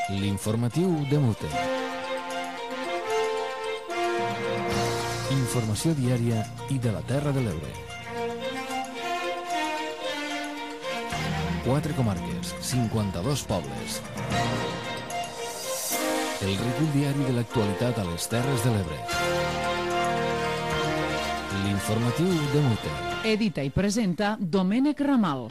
L'informatiu de Mute. Informació diària i de la Terra de l'Ebre. 4 comarques, 52 pobles. El recull diari de l'actualitat a les Terres de l'Ebre. L'informatiu de Mute. Edita i presenta Domènec Ramal.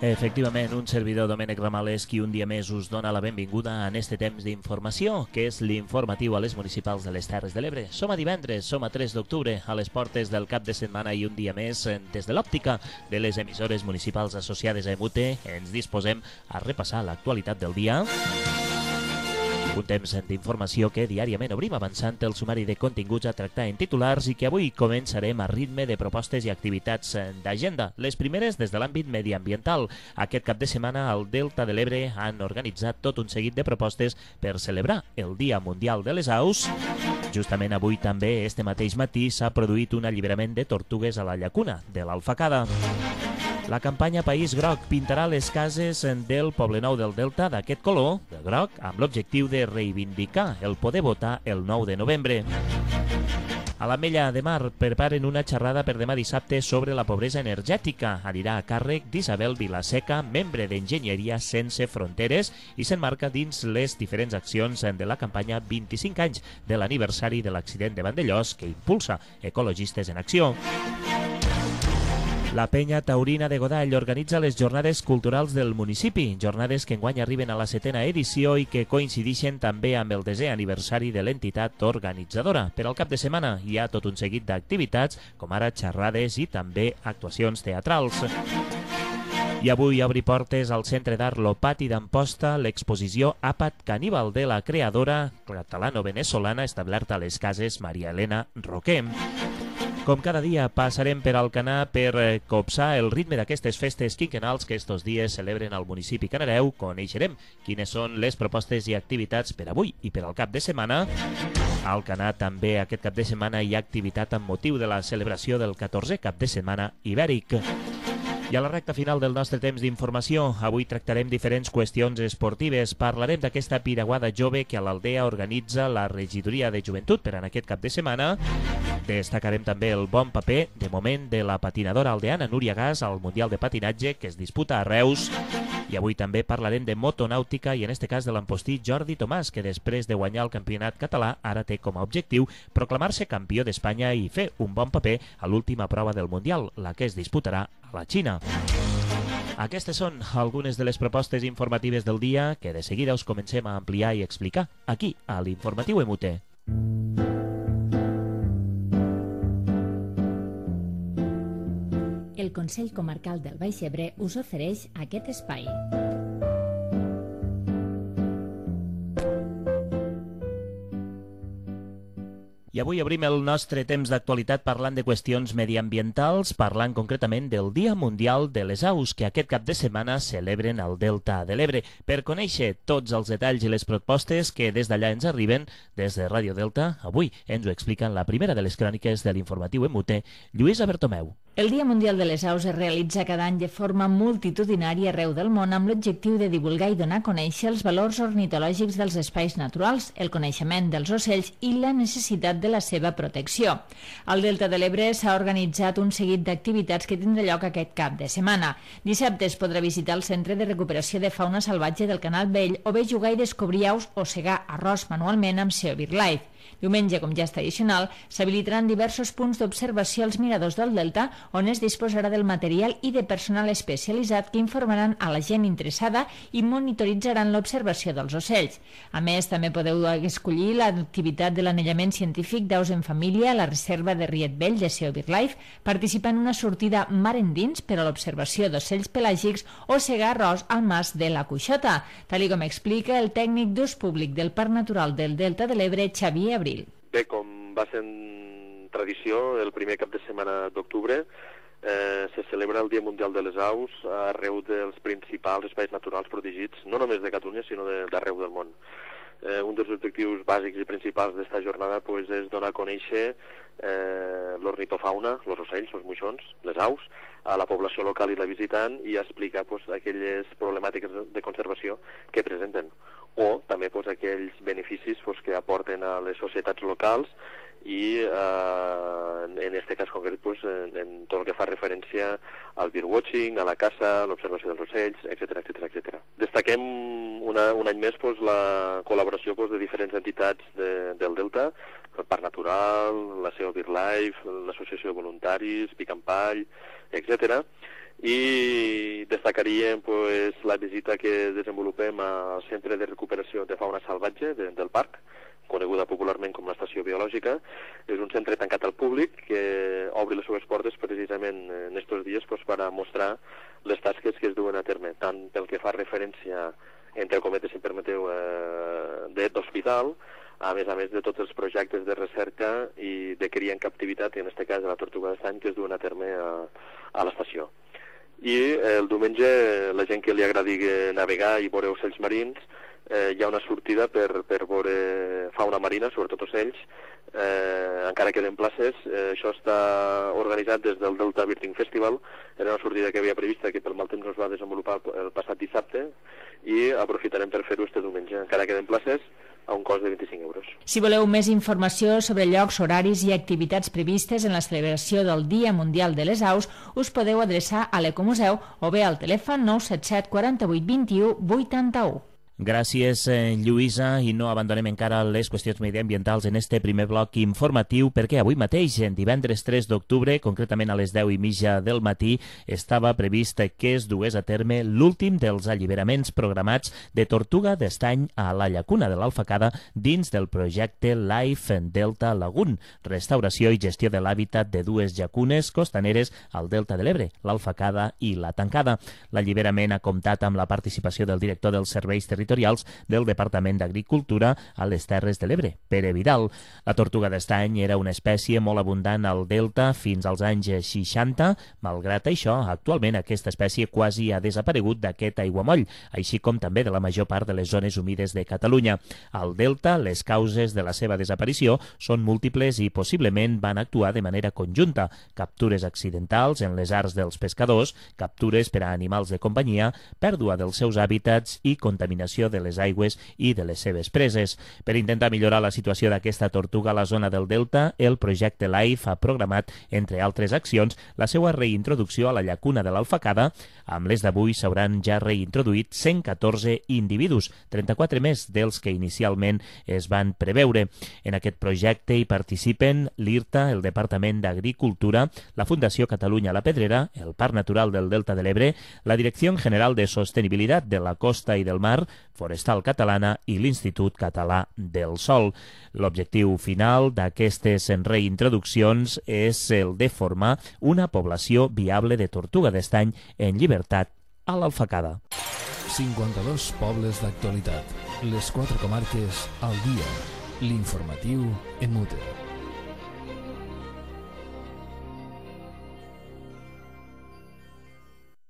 Efectivament, un servidor, Domènec Ramal, és qui un dia més us dona la benvinguda en este temps d'informació, que és l'informatiu a les municipals de les Terres de l'Ebre. Som a divendres, som a 3 d'octubre, a les portes del cap de setmana i un dia més, des de l'òptica de les emissores municipals associades a Mute, ens disposem a repassar l'actualitat del dia. Un temps d'informació que diàriament obrim avançant el sumari de continguts a tractar en titulars i que avui començarem a ritme de propostes i activitats d'agenda. Les primeres des de l'àmbit mediambiental. Aquest cap de setmana al Delta de l'Ebre han organitzat tot un seguit de propostes per celebrar el Dia Mundial de les Aus. Justament avui també, este mateix matí, s'ha produït un alliberament de tortugues a la llacuna de l'Alfacada. La campanya País Groc pintarà les cases del Poblenou del Delta d'aquest color, de groc, amb l'objectiu de reivindicar el poder votar el 9 de novembre. A l'Ametlla de Mar preparen una xerrada per demà dissabte sobre la pobresa energètica. Anirà a càrrec d'Isabel Vilaseca, membre d'Enginyeria Sense Fronteres, i s'enmarca dins les diferents accions de la campanya 25 anys de l'aniversari de l'accident de Vandellòs que impulsa Ecologistes en Acció. La Penya Taurina de Godall organitza les jornades culturals del municipi, jornades que enguany arriben a la 7a edició i que coincideixen també amb el 10è aniversari de l'entitat organitzadora. Per al cap de setmana hi ha tot un seguit d'activitats, com ara xerrades i també actuacions teatrals. I avui obri portes al Centre d'Art Lopati d'Amposta l'exposició Àpat Caníbal de la creadora catalano-veneçolana establerta a les Cases Maria Elena Roquer. Com cada dia passarem per Alcanar per copsar el ritme d'aquestes festes quinquennals que estos dies celebren al municipi Canareu. Coneixerem quines són les propostes i activitats per avui i per al cap de setmana. A Alcanar també aquest cap de setmana hi ha activitat amb motiu de la celebració del 14è cap de setmana ibèric. I a la recta final del nostre temps d'informació, avui tractarem diferents qüestions esportives. Parlarem d'aquesta piraguada jove que a l'Aldea organitza la Regidoria de Joventut per en aquest cap de setmana. Destacarem també el bon paper, de moment, de la patinadora aldeana Núria Gas al Mundial de Patinatge que es disputa a Reus. I avui també parlarem de motonàutica i en este cas de l'empostí Jordi Tomàs, que després de guanyar el campionat català ara té com a objectiu proclamar-se campió d'Espanya i fer un bon paper a l'última prova del Mundial, la que es disputarà a la Xina. Aquestes són algunes de les propostes informatives del dia que de seguida us comencem a ampliar i explicar aquí, a l'Informatiu Mute. El Consell Comarcal del Baix Ebre us ofereix aquest espai. I avui obrim el nostre temps d'actualitat parlant de qüestions mediambientals, parlant concretament del Dia Mundial de les Aus, que aquest cap de setmana celebren al Delta de l'Ebre. Per conèixer tots els detalls i les propostes que des d'allà ens arriben, des de Ràdio Delta, avui ens ho expliquen la primera de les cròniques de l'informatiu Mute, Lluïsa Bertomeu. El Dia Mundial de les Aus es realitza cada any de forma multitudinària arreu del món amb l'objectiu de divulgar i donar a conèixer els valors ornitològics dels espais naturals, el coneixement dels ocells i la necessitat de la seva protecció. Al Delta de l'Ebre s'ha organitzat un seguit d'activitats que tindrà lloc aquest cap de setmana. Dissabte es podrà visitar el Centre de Recuperació de Fauna Salvatge del Canal Vell o bé jugar i descobrir aus o segar arròs manualment amb SEO BirdLife. Diumenge, com ja és tradicional, s'habilitaran diversos punts d'observació als miradors del Delta on es disposarà del material i de personal especialitzat que informaran a la gent interessada i monitoritzaran l'observació dels ocells. A més, també podeu escollir l'activitat de l'anellament científic d'aus en família a la reserva de Riet Vell de SEO BirdLife, participar en una sortida mar endins per a l'observació d'ocells pelàgics o segar arròs al mas de la Cuixota, tal com explica el tècnic d'ús públic del Parc Natural del Delta de l'Ebre, Xavier Abril. Bé, com va ser tradició, el primer cap de setmana d'octubre se celebra el Dia Mundial de les Aus arreu dels principals espais naturals protegits, no només de Catalunya, sinó d'arreu del món. Un dels objectius bàsics i principals d'esta jornada és donar a conèixer l'ornitofauna, els ocells, els moixons, les aus, a la població local i la visitant i explicar aquelles problemàtiques de conservació que presenten. o també aquells beneficis que aporten a les societats locals i en aquest cas concret en tot el que fa referència al birdwatching, a la caça, a l'observació dels ocells, etc. Destaquem un any més la col·laboració de diferents entitats del Delta, el Parc Natural, la SEO BirdLife, l'Associació de Voluntaris, Pic en Pall, etc. I destacaríem la visita que desenvolupem al Centre de Recuperació de Fauna Salvatge del parc, coneguda popularment com l'Estació Biològica. És un centre tancat al públic que obre les seves portes precisament en aquests dies per a mostrar les tasques que es duen a terme, tant pel que fa referència, entre cometes, si em permeteu, d'hospital, a més de tots els projectes de recerca i de cria en captivitat, i en aquest cas de la tortuga d'estany, que es duen a terme a l'estació. I el diumenge, la gent que li agradi navegar i veure ocells marins, hi ha una sortida per veure fauna marina, sobretot ocells, encara queden places. Això està organitzat des del Delta Birding Festival. Era una sortida que havia prevista, que pel mal temps no es va desenvolupar el passat dissabte, i aprofitarem per fer-ho este diumenge. Encara queden places a un cost de 25 euros. Si voleu més informació sobre llocs, horaris i activitats previstes en la celebració del Dia Mundial de les Aus, us podeu adreçar a l'Ecomuseu o bé al telèfon 977 48 21 81. Gràcies, Lluïsa, i no abandonem encara les qüestions mediambientals en este primer bloc informatiu, perquè avui mateix, divendres 3 d'octubre, concretament a les 10:30 del matí, estava previst que es dués a terme l'últim dels alliberaments programats de tortuga d'estany a la llacuna de l'Alfacada dins del projecte Life Delta Lagoon, restauració i gestió de l'hàbitat de dues llacunes costaneres al Delta de l'Ebre, l'Alfacada i la Tancada. L'alliberament ha comptat amb la participació del director dels serveis territorials del Departament d'Agricultura a les Terres de l'Ebre, Pere Vidal. La tortuga d'estany era una espècie molt abundant al delta fins als anys 60. Malgrat això, actualment aquesta espècie quasi ha desaparegut d'aquest aiguamoll, així com també de la major part de les zones humides de Catalunya. Al delta, les causes de la seva desaparició són múltiples i possiblement van actuar de manera conjunta. Captures accidentals en les arts dels pescadors, captures per a animals de companyia, pèrdua dels seus hàbitats i contaminació de les aigües i de les seves preses. Per intentar millorar la situació d'aquesta tortuga a la zona del delta, el projecte LIFE ha programat, entre altres accions, la seva reintroducció a la llacuna de l'Alfacada. Amb les d'avui s'hauran ja reintroduït 114 individus, 34 més dels que inicialment es van preveure. En aquest projecte hi participen l'IRTA, el Departament d'Agricultura, la Fundació Catalunya La Pedrera, el Parc Natural del Delta de l'Ebre, la Direcció General de Sostenibilitat de la Costa i del Mar, Forestal Catalana i l'Institut Català del Sòl. L'objectiu final d'aquestes reintroduccions és el de formar una població viable de tortuga d'estany en llibertat a l'Alfacada. 52 pobles d'actualitat. Les 4 comarques al dia. L'informatiu en mute.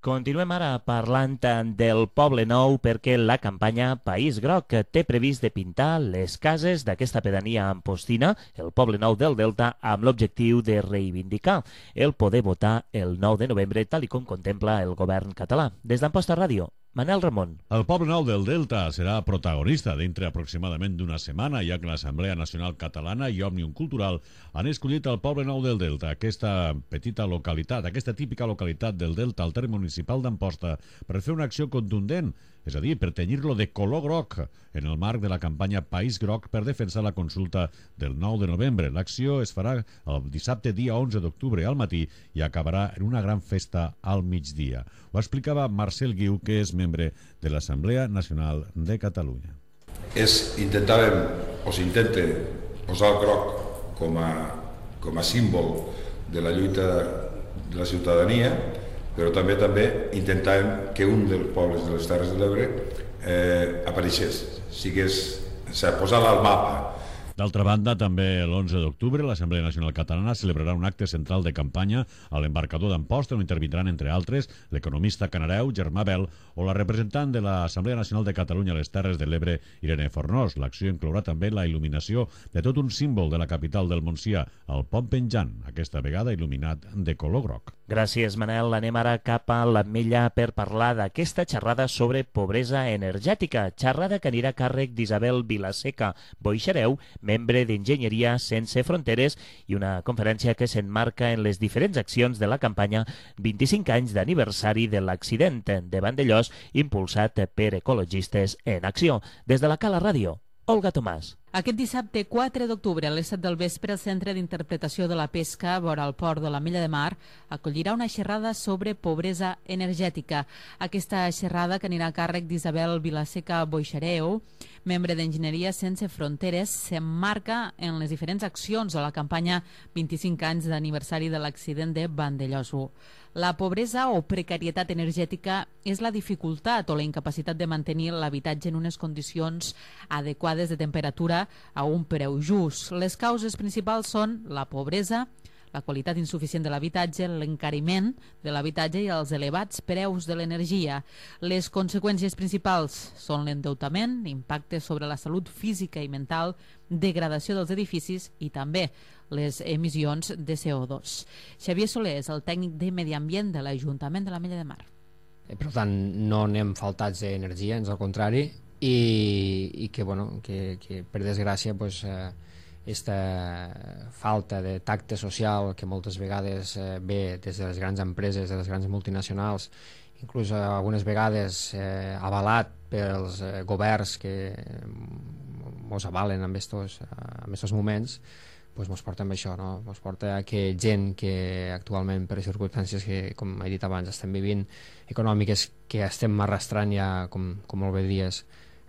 Continuem ara parlant del Poble Nou perquè la campanya País Groc té previst de pintar les cases d'aquesta pedania ampostina, el Poble Nou del Delta, amb l'objectiu de reivindicar el poder votar el 9 de novembre, tal com contempla el govern català. Des d'Amposta Ràdio, Manel Ramon. El Poble Nou del Delta serà protagonista dintre aproximadament d'una setmana, ja que l'Assemblea Nacional Catalana i Òmnium Cultural han escollit el Poble Nou del Delta, aquesta petita localitat, aquesta típica localitat del Delta al terme municipal d'Amposta, per fer una acció contundent, és a dir, per tenyir-lo de color groc en el marc de la campanya País Groc per defensar la consulta del 9 de novembre. L'acció es farà el dissabte dia 11 d'octubre al matí i acabarà en una gran festa al migdia. Ho explicava Marcel Guiu, que és membre de l'Assemblea Nacional de Catalunya. Intentàvem, o s'intenta, posar el groc com a símbol de la lluita de la ciutadania, però també intentàvem que un dels pobles de les Terres de l'Ebre apareixés, posar-la al mapa. D'altra banda, també l'11 d'octubre l'Assemblea Nacional Catalana celebrarà un acte central de campanya a l'embarcador d'Amposta on intervindran, entre altres, l'economista canareu Germà Bel o la representant de l'Assemblea Nacional de Catalunya a les Terres de l'Ebre, Irene Fornós. L'acció inclourà també la il·luminació de tot un símbol de la capital del Montsià, el Pont Penjant, aquesta vegada il·luminat de color groc. Gràcies, Manel. Anem ara cap a l'Ametlla per parlar d'aquesta xerrada sobre pobresa energètica. Xerrada que anirà a càrrec d'Isabel Vilaseca Boixareu, membre d'Enginyeria Sense Fronteres, i una conferència que s'emmarca en les diferents accions de la campanya 25 anys d'aniversari de l'accident de Vandellòs, impulsat per Ecologistes en Acció. Des de la Cala Ràdio, Olga Tomàs. Aquest dissabte 4 d'octubre, a les 7 del vespre, el Centre d'Interpretació de la Pesca, vora el port de l'Ametlla de Mar, acollirà una xerrada sobre pobresa energètica. Aquesta xerrada, que anirà a càrrec d'Isabel Vilaseca Boixareu, membre d'Enginyeria Sense Fronteres, s'emmarca en les diferents accions de la campanya 25 anys d'aniversari de l'accident de Vandellòs 1. La pobresa o precarietat energètica és la dificultat o la incapacitat de mantenir l'habitatge en unes condicions adequades de temperatura a un preu just. Les causes principals són la pobresa, la qualitat insuficient de l'habitatge, l'encariment de l'habitatge i els elevats preus de l'energia. Les conseqüències principals són l'endeutament, impacte sobre la salut física i mental, degradació dels edificis i també les emissions de CO2. Xavier Soler és el tècnic de Medi Ambient de l'Ajuntament de l'Ametlla de Mar. Per tant, no anem faltats d'energia, ans al contrari, i que per desgràcia aquesta falta de tacte social que moltes vegades ve des de les grans empreses, de les grans multinacionals, inclús algunes vegades avalat pels governs que ens avalen en aquests moments, ens porta amb això, no? Ens porta a que gent que actualment, per les circumstàncies que, com he dit abans, estem vivint, econòmiques, que estem arrastrant ja, com molt bé dies,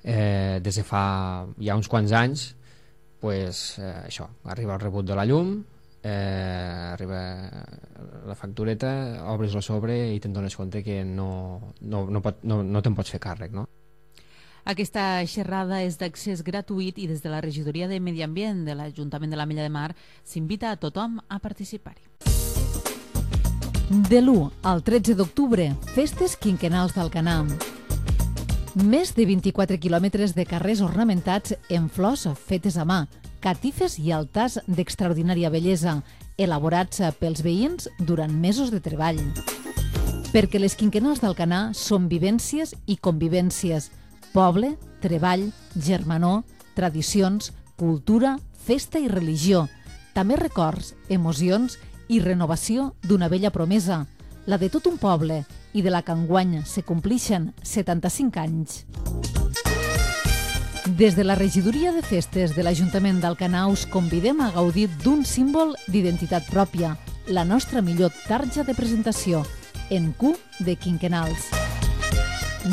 des de fa ja uns quants anys, això, arriba el rebut de la llum, arriba la factureta, obres el sobre i te'n dones compte que no te'n pots fer càrrec, no? Aquesta xerrada és d'accés gratuït i des de la Regidoria de Medi Ambient de l'Ajuntament de l'Ametlla de Mar s'invita a tothom a participar-hi. De l'1 al 13 d'octubre, festes quinquennals d'Alcanar. Més de 24 quilòmetres de carrers ornamentats en flors fetes a mà, catifes i altars d'extraordinària bellesa, elaborats pels veïns durant mesos de treball. Perquè les quinquennals d'Alcanar són vivències i convivències, poble, treball, germanor, tradicions, cultura, festa i religió, també records, emocions i renovació d'una vella promesa, la de tot un poble i de la que enguany se complixen 75 anys. Des de la Regidoria de Festes de l'Ajuntament d'Alcanar us convidem a gaudir d'un símbol d'identitat pròpia, la nostra millor tarja de presentació, en Q de quinquennals.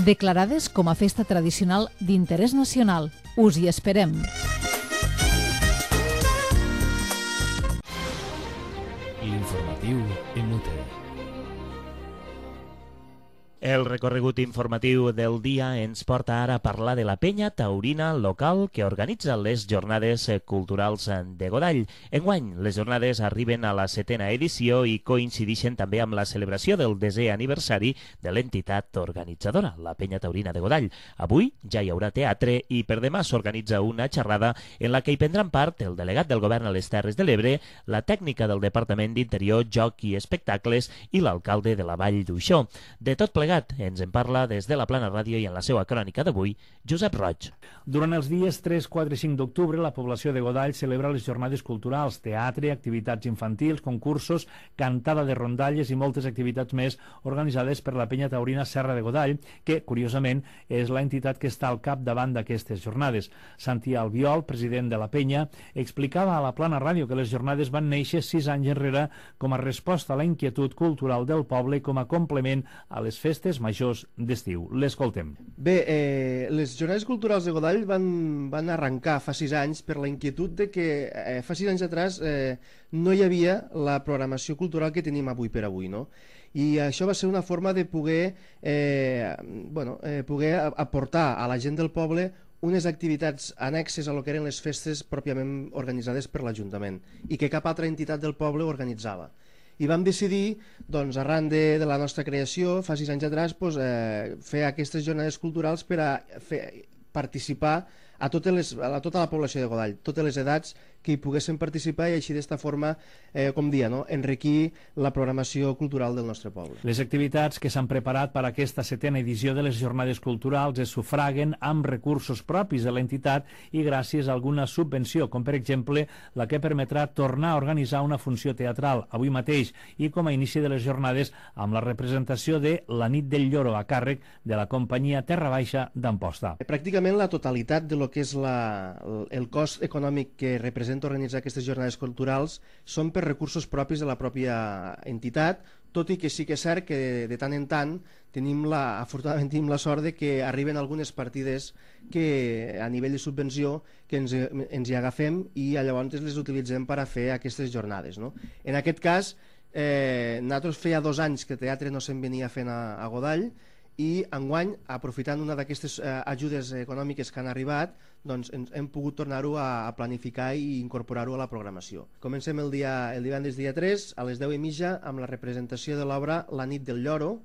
Declarades com a festa tradicional d'interès nacional. Us hi esperem. L'informatiu en UTE. El recorregut informatiu del dia ens porta ara a parlar de la penya taurina local que organitza les jornades culturals de Godall. Enguany, les jornades arriben a la 7a edició i coincideixen també amb la celebració del 10è aniversari de l'entitat organitzadora, la penya taurina de Godall. Avui ja hi haurà teatre i per demà s'organitza una xerrada en la que hi prendran part el delegat del govern a les Terres de l'Ebre, la tècnica del Departament d'Interior, Joc i Espectacles i l'alcalde de la Vall d'Uixó. De tot plegat ens en parla des de la Plana Ràdio i en la seva crònica d'avui, Josep Roig. Durant els dies 3, 4 i 5 d'octubre, la població de Godall celebra les jornades culturals, teatre, activitats infantils, concursos, cantada de rondalles i moltes activitats més organitzades per la penya taurina Serra de Godall, que, curiosament, és l'entitat que està al capdavant d'aquestes jornades. Santi Albiol, president de la penya, explicava a la Plana Ràdio que les jornades van néixer 6 anys enrere com a resposta a la inquietud cultural del poble i com a complement a les festes majors d'estiu. L'escoltem. Bé, les jornades culturals de Godall van arrencar fa 6 anys per la inquietud de que fa 6 anys atrás no hi havia la programació cultural que tenim avui per avui, no? I això va ser una forma de poder aportar a la gent del poble unes activitats annexes a lo que eren les festes pròpiament organitzades per l'Ajuntament i que cap altra entitat del poble organitzava. I vam decidir, doncs, arran de la nostra creació, fa 6 anys atrás, fer aquestes jornades culturals per a participar a tota la població de Godall, totes les edats que hi poguessin participar i així d'esta forma, com dia, enriquir la programació cultural del nostre poble. Les activitats que s'han preparat per a aquesta 7a edició de les jornades culturals es sufraguen amb recursos propis de l'entitat i gràcies a alguna subvenció, com per exemple la que permetrà tornar a organitzar una funció teatral avui mateix i com a inici de les jornades amb la representació de La nit del lloro a càrrec de la companyia Terra Baixa d'Amposta. Pràcticament la totalitat de lo que és el cost econòmic que representa organitzar aquestes jornades culturals són per recursos propis de la pròpia entitat, tot i que sí que és cert que de tant en tant afortunadament tenim la sort de que arriben algunes partides que a nivell de subvenció que ens hi agafem i llavors les utilitzem per a fer aquestes jornades. En aquest cas, nosaltres feia 2 anys que teatre no se'n venia fent a Godall i enguany, aprofitant una d'aquestes ajudes econòmiques que han arribat, doncs hem pogut tornar-ho a planificar i incorporar-ho a la programació. Comencem el divendres dia 3 a les 10:30 amb la representació de l'obra La nit del lloro,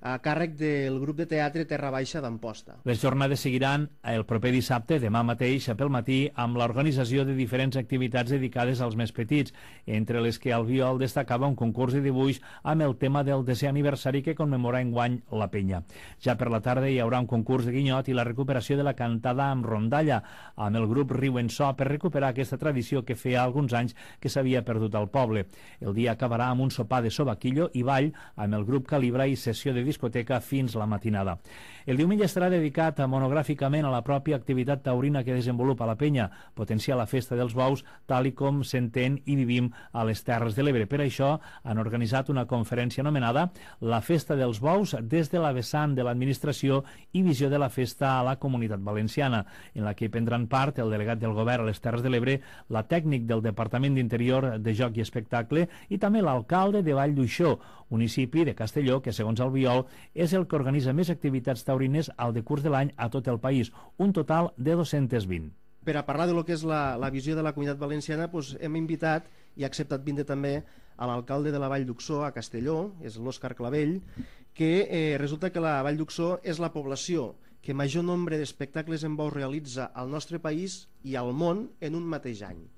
a càrrec del grup de teatre Terra Baixa d'Amposta. Les jornades seguiran el proper dissabte, demà mateix, pel matí, amb l'organització de diferents activitats dedicades als més petits, entre les que Albiol destacava un concurs de dibuix amb el tema del 10è aniversari que commemora enguany la penya. Ja per la tarda hi haurà un concurs de guinyot i la recuperació de la cantada amb rondalla, amb el grup Riu en So, per recuperar aquesta tradició que feia alguns anys que s'havia perdut al poble. El dia acabarà amb un sopar de sobaquillo i ball amb el grup Calibra i sessió de discoteca fins la matinada. El diumenge estarà dedicat monogràficament a la pròpia activitat taurina que desenvolupa la penya, potenciar la festa dels bous tal i com s'entén i vivim a les Terres de l'Ebre. Per això han organitzat una conferència anomenada La festa dels bous des de la vessant de l'administració i visió de la festa a la Comunitat Valenciana, en la que prendran part el delegat del govern a les Terres de l'Ebre, la tècnic del Departament d'Interior de Joc i Espectacle i també l'alcalde de Vall d'Uixó, municipi de Castelló que, segons Albiol, és el que organitza més activitats taurines al decurs de l'any a tot el país, un total de 220. Per a parlar de lo que és la visió de la Comunitat Valenciana, hem invitat i ha acceptat vindre també a l'alcalde de la Vall d'Uixó, a Castelló, és l'Òscar Clavell, que resulta que la Vall d'Uixó és la població que major nombre d'espectacles en bous realitza al nostre país i al món en un mateix any.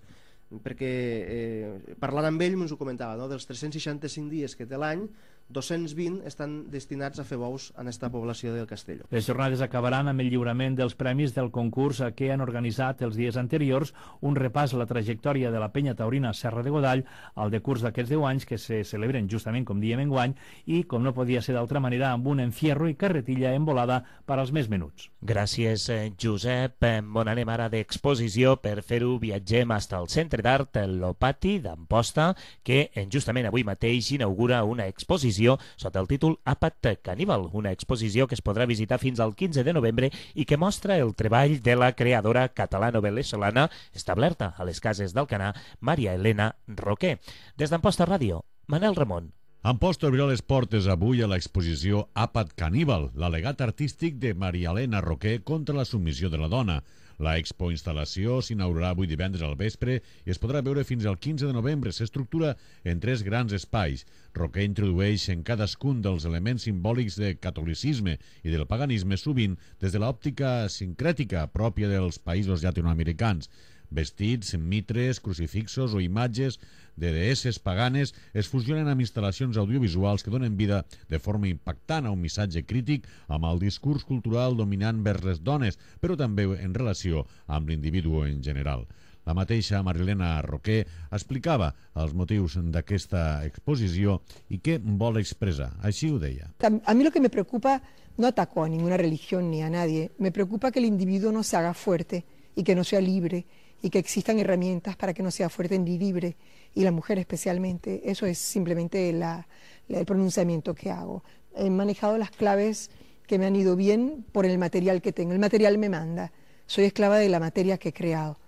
Perquè parlant amb ell ens ho comentava, dels 365 dies que té l'any, 220 estan destinats a fer bous en aquesta població del Castelló. Les jornades acabaran amb el lliurament dels premis del concurs que han organitzat els dies anteriors, un repàs a la trajectòria de la penya taurina Serra de Godall al decurs d'aquests 10 anys que se celebren justament com diem enguany i, com no podia ser d'altra manera, amb un enfierro i carretilla envolada per als més menuts. Gràcies, Josep. On anem ara d'exposició? Per fer-ho viatgem fins al Centre d'Art Lopati d'Amposta, que justament avui mateix inaugura una exposició sota el títol Àpat Caníbal, una exposició que es podrà visitar fins al 15 de novembre i que mostra el treball de la creadora catalano-veneçolana establerta a les Cases d'Alcanar, Maria Elena Roquer. Des d'Amposta Ràdio, Manel Ramon. Amposta obrirà les portes avui a l'exposició Àpat Caníbal, l'al·legat artístic de Maria Elena Roquer contra la submissió de la dona. La expo-instal·lació s'inaugurarà avui divendres al vespre i es podrà veure fins al 15 de novembre. S'estructura en 3 grans espais. Roquer introdueix en cadascun dels elements simbòlics del catolicisme i del paganisme, sovint des de l'òptica sincrètica pròpia dels països llatinoamericans. Vestits, mitres, crucifixos o imatges de deesses paganes es fusionen amb instal·lacions audiovisuals que donen vida de forma impactant a un missatge crític amb el discurs cultural dominant vers les dones, però també en relació amb l'individu en general. La mateixa Marilena Roquer explicava els motius d'aquesta exposició i què vol expressar. Així ho deia. A mí lo que me preocupa, no ataco a ninguna religión ni a nadie, me preocupa que el individuo no se haga fuerte y que no sea libre y que existan herramientas para que no sea fuerte ni libre, y la mujer especialmente. Eso es simplemente el pronunciamiento que hago. He manejado las claves que me han ido bien por el material que tengo. El material me manda. Soy esclava de la materia que he creado.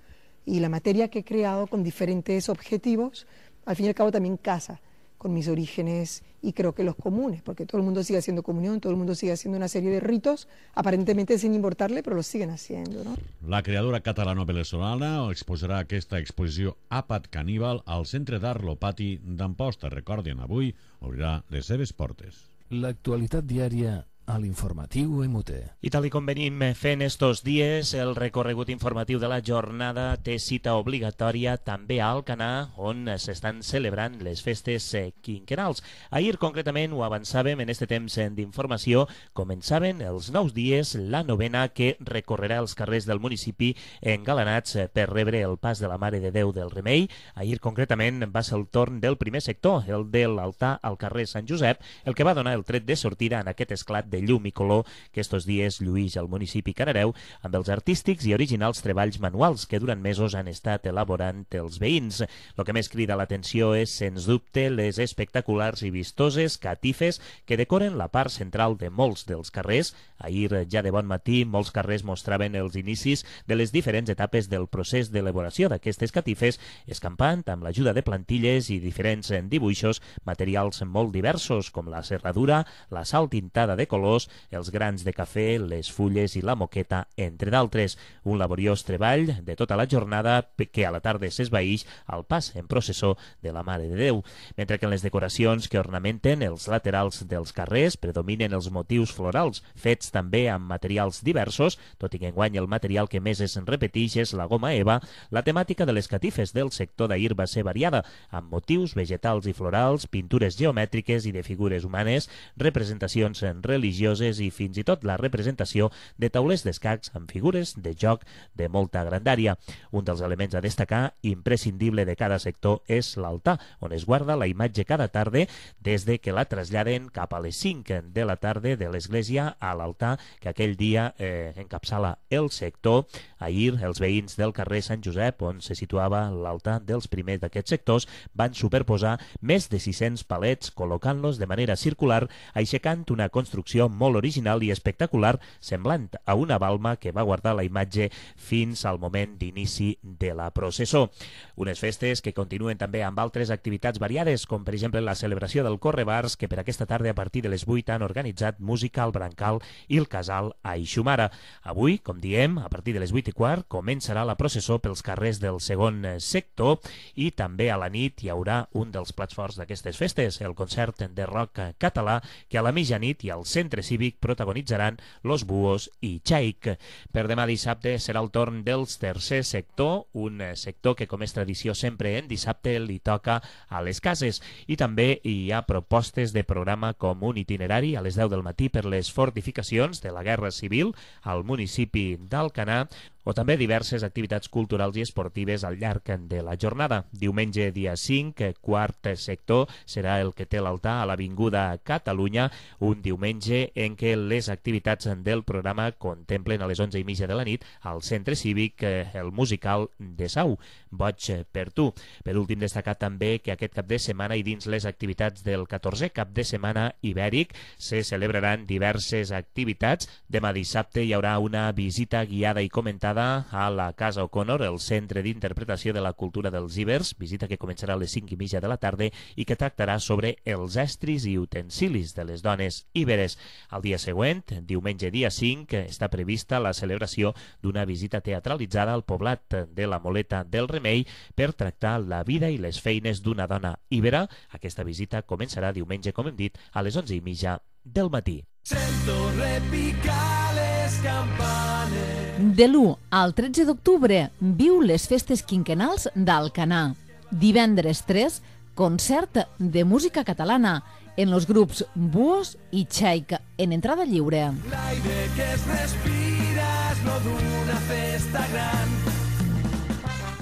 Y la materia que he creado con diferentes objetivos, al fin y al cabo también casa con mis orígenes y creo que los comunes, porque todo el mundo sigue haciendo comunión, todo el mundo sigue haciendo una serie de ritos, aparentemente sin importarle, però los siguen haciendo, ¿no? La creadora catalano-venezolana exposarà aquesta exposició Àpat Caníbal al Centre d'Art Lopati d'Amposta. Recordin, avui obrirà les seves portes. L'actualitat diària a l'informatiu MUT. I tal com venim fent estos dies, el recorregut informatiu de la jornada té cita obligatòria també a Alcanar, on s'estan celebrant les festes quinquennals. Ahir, concretament, ho avançàvem en este temps d'informació, començaven els nous dies la novena que recorrerà els carrers del municipi engalanats per rebre el pas de la Mare de Déu del Remei. Ahir, concretament, va ser el torn del primer sector, el de l'altar al carrer Sant Josep, el que va donar el tret de sortida en aquest esclat de llum i color que estos dies lluïx al municipi Canareu amb els artístics i originals treballs manuals que durant mesos han estat elaborant els veïns. El que més crida l'atenció és, sens dubte, les espectaculars i vistoses catifes que decoren la part central de molts dels carrers. Ahir, ja de bon matí, molts carrers mostraven els inicis de les diferents etapes del procés d'elaboració d'aquestes catifes, escampant amb l'ajuda de plantilles i diferents dibuixos, materials molt diversos com la serradura, la sal tintada de colors, els grans de cafè, les fulles i la moqueta, entre d'altres. Un laboriós treball de tota la jornada que a la tarda s'esvaïx al pas en processó de la Mare de Déu. Mentre que en les decoracions que ornamenten els laterals dels carrers predominen els motius florals, fets també amb materials diversos, tot i que enguany el material que més es repeteix és la goma eva. La temàtica de les catifes del sector d'ahir va ser variada, amb motius vegetals i florals, pintures geomètriques i de figures humanes, representacions religioses i fins i tot la representació de taulers d'escacs amb figures de joc de molta grandària. Un dels elements a destacar, imprescindible de cada sector, és l'altar, on es guarda la imatge cada tarda des de que la traslladen cap a les 5 de la tarda de l'església a l'altar que aquell dia encapçala el sector. Ahir, els veïns del carrer Sant Josep, on se situava l'altar dels primers d'aquests sectors, van superposar més de 600 palets, col·locant-los de manera circular, aixecant una construcció molt original i espectacular, semblant a una balma que va guardar la imatge fins al moment d'inici de la processó. Unes festes que continuen també amb altres activitats variades, com per exemple la celebració del Correbars, que per aquesta tarda a partir de les 8 han organitzat música al Brancal i el Casal a Ixumara. Avui, com diem, a partir de les 8:15 començarà la processó pels carrers del segon sector i també a la nit hi haurà un dels plats forts d'aquestes festes, el concert de rock català, que a la mitjanit i al centre cívic protagonitzaran Los Búhos i Chaik. Per demà dissabte serà el torn dels tercer sector, un sector que, com és tradició sempre en dissabte, li toca a les cases. I també hi ha propostes de programa com un itinerari a les 10 del matí per les fortificacions de la Guerra Civil al municipi d'Alcanar, o també diverses activitats culturals i esportives al llarg de la jornada. Diumenge, dia 5, quart sector, serà el que té l'altar a l'Avinguda Catalunya, un diumenge en què les activitats del programa contemplen a les 11:30 de la nit al centre cívic el musical de Sau, Boig per tu. Per últim, destacar també que aquest cap de setmana i dins les activitats del 14è cap de setmana ibèric se celebraran diverses activitats. Demà dissabte hi haurà una visita guiada i comentada a la Casa O'Connor, el Centre d'Interpretació de la Cultura dels Ibers, visita que començarà a les 5:30 de la tarda i que tractarà sobre els estris i utensilis de les dones íberes. Al dia següent, diumenge dia 5, està prevista la celebració d'una visita teatralitzada al poblat de la Moleta del Remei per tractar la vida i les feines d'una dona íbera. Aquesta visita començarà diumenge, com hem dit, a les 11:30 del matí. Sento repicar les campanes. De l'1 al 13 d'octubre viu les festes quinquennals d'Alcanar. Divendres 3, concert de música catalana en los grups Búhos i Chaik, en entrada lliure. L'aire que es respira és no d'una festa gran.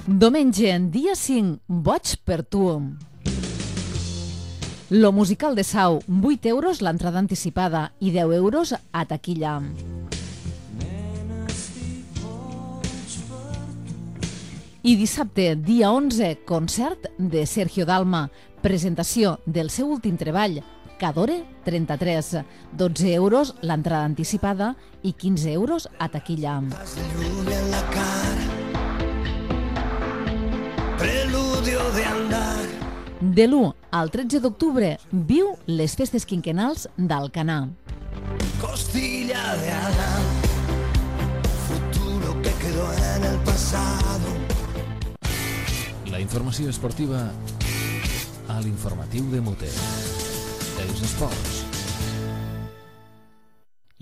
Diumenge, dia 5, Boig per tu. Lo musical de Sau, 8 euros l'entrada anticipada i 10 euros a taquilla. I dissabte, dia 11, concert de Sergio Dalma, presentació del seu últim treball, Cadore 33, 12 euros l'entrada anticipada i 15 euros a taquilla. Preludio de andar. De l'1 al 13 d'octubre, viu les festes quinquennals d'Alcanar. Costilla de Adán, futuro que quedó en el pasado. La informació esportiva a l'informatiu de Mute. Els esports.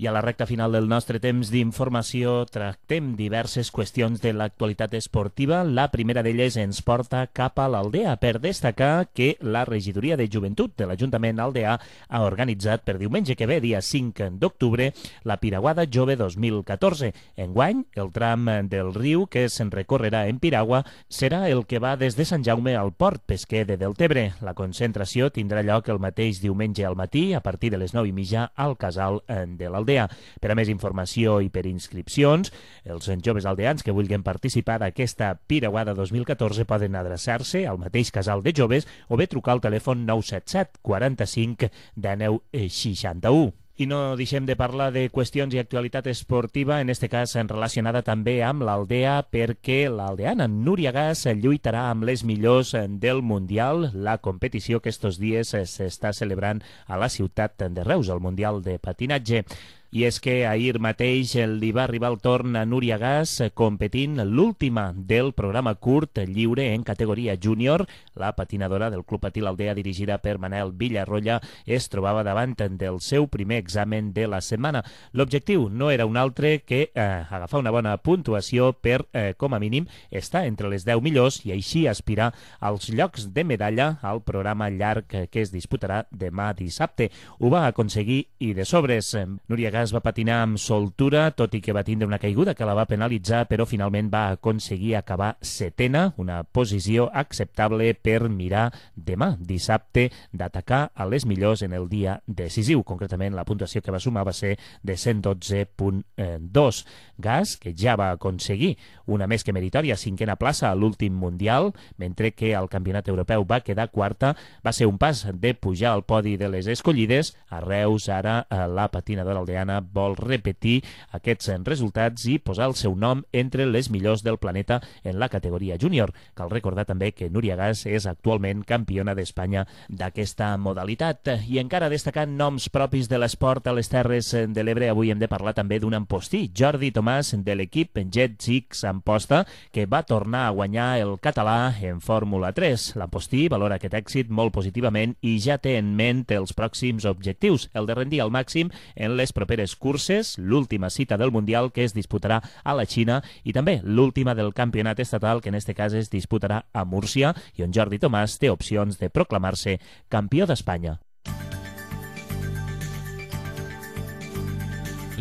I a la recta final del nostre temps d'informació tractem diverses qüestions de l'actualitat esportiva. La primera d'elles ens porta cap a l'Aldea per destacar que la regidoria de joventut de l'Ajuntament aldeà ha organitzat per diumenge que ve, dia 5 d'octubre, la Piraguada Jove 2014. Enguany, el tram del riu que se'n recorrerà en piragua serà el que va des de Sant Jaume al port pesquer de Deltebre. La concentració tindrà lloc el mateix diumenge al matí a partir de les 9:30 al casal de l'Aldea. Per a més informació i per inscripcions, els joves aldeans que vulguin participar d'aquesta Piraguada 2014 poden adreçar-se al mateix casal de joves o bé trucar al telèfon 977 45 19 61. I no deixem de parlar de qüestions i actualitat esportiva, en este cas relacionada també amb l'Aldea, perquè l'aldeana Núria Gas lluitarà amb les millors del Mundial, la competició que estos dies s'està celebrant a la ciutat de Reus, el Mundial de Patinatge. I és que ahir mateix li va arribar el torn a Núria Gas competint l'última del programa curt lliure en categoria júnior. La patinadora del Club Patí l'Aldea, dirigida per Manel Villarroya, es trobava davant del seu primer examen de la setmana. L'objectiu no era un altre que agafar una bona puntuació per, com a mínim, estar entre les 10 millors i així aspirar als llocs de medalla al programa llarg que es disputarà demà dissabte. Ho va aconseguir i de sobres. Núria Gas va patinar amb soltura, tot i que va tindre una caiguda que la va penalitzar, però finalment va aconseguir acabar setena, una posició acceptable per mirar demà, dissabte, d'atacar a les millors en el dia decisiu. Concretament, la puntuació que va sumar va ser de 112.2. Gas, que ja va aconseguir una més que meritòria cinquena plaça a l'últim Mundial, mentre que al Campionat Europeu va quedar quarta, va ser un pas de pujar al podi de les escollides. A Reus, ara, la patinadora aldeana vol repetir aquests resultats i posar el seu nom entre les millors del planeta en la categoria júnior. Cal recordar també que Núria Gas és actualment campiona d'Espanya d'aquesta modalitat. I encara destacant noms propis de l'esport a les Terres de l'Ebre, avui hem de parlar també d'un ampostí, Jordi Tomàs, de l'equip Jet Six Amposta, que va tornar a guanyar el català en Fórmula 3. L'ampostí valora aquest èxit molt positivament i ja té en ment els pròxims objectius, el de rendir al màxim en les properes curses, l'última cita del Mundial que es disputarà a la Xina i també l'última del campionat estatal que en este cas es disputarà a Múrcia i on Jordi Tomàs té opcions de proclamar-se campió d'Espanya.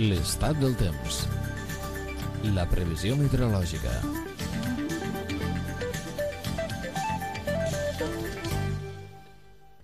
L'estat del temps. La previsió meteorològica.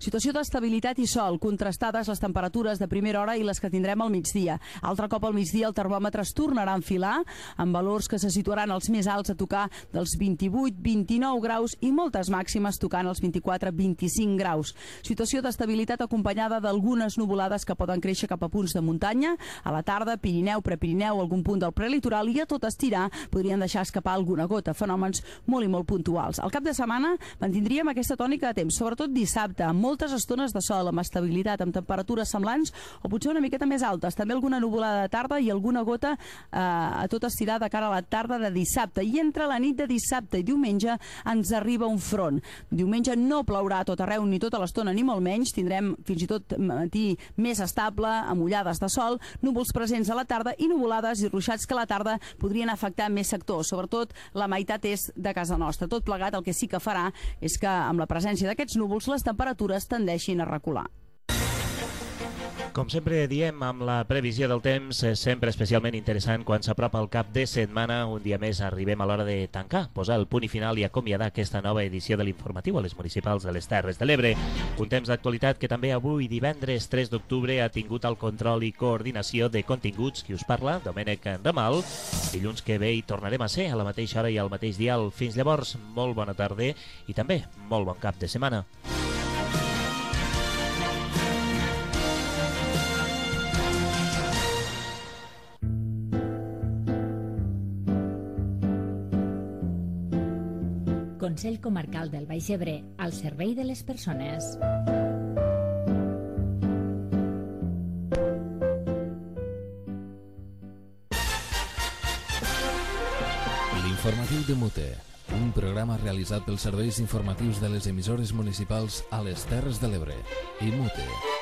Situació d'estabilitat i sol, contrastades les temperatures de primera hora i les que tindrem al migdia. Altre cop al migdia el termòmetre es tornarà a enfilar, amb valors que se situaran els més alts a tocar dels 28-29 graus i moltes màximes tocant els 24-25 graus. Situació d'estabilitat acompanyada d'algunes nuvolades que poden créixer cap a punts de muntanya. A la tarda, Pirineu, Prepirineu, algun punt del prelitoral i a tot estirar podrien deixar escapar alguna gota, fenòmens molt i molt puntuals. Al cap de setmana mantindríem aquesta tònica de temps, sobretot dissabte, amb moltes estones de sol, amb estabilitat, amb temperatures semblants o potser una miqueta més altes. També alguna nuvolada de tarda i alguna gota a tot estirar de cara a la tarda de dissabte. I entre la nit de dissabte i diumenge ens arriba un front. Diumenge no plourà a tot arreu ni tota l'estona ni molt menys. Tindrem fins i tot matí més estable, amb ullades de sol, núvols presents a la tarda i nuvolades i ruixats que a la tarda podrien afectar més sectors, sobretot la meitat est de casa nostra. Tot plegat el que sí que farà és que amb la presència d'aquests núvols les temperatures tendeixin a recular. Com sempre diem, amb la previsió del temps, sempre especialment interessant quan s'apropa el cap de setmana. Un dia més arribem a l'hora de tancar, posar el punt i final i acomiadar aquesta nova edició de l'informatiu a les municipals de les Terres de l'Ebre. Un temps d'actualitat que també avui, divendres 3 d'octubre, ha tingut el control i coordinació de continguts qui us parla, Domènec Ramal. Dilluns que ve hi tornarem a ser a la mateixa hora i al mateix dial. Fins llavors, molt bona tarda i també molt bon cap de setmana. Consell Comarcal del Baix Ebre, al servei de les persones. L'informatiu de Mute, un programa realitzat pels serveis informatius de les emissores municipals a les Terres de l'Ebre i Mute.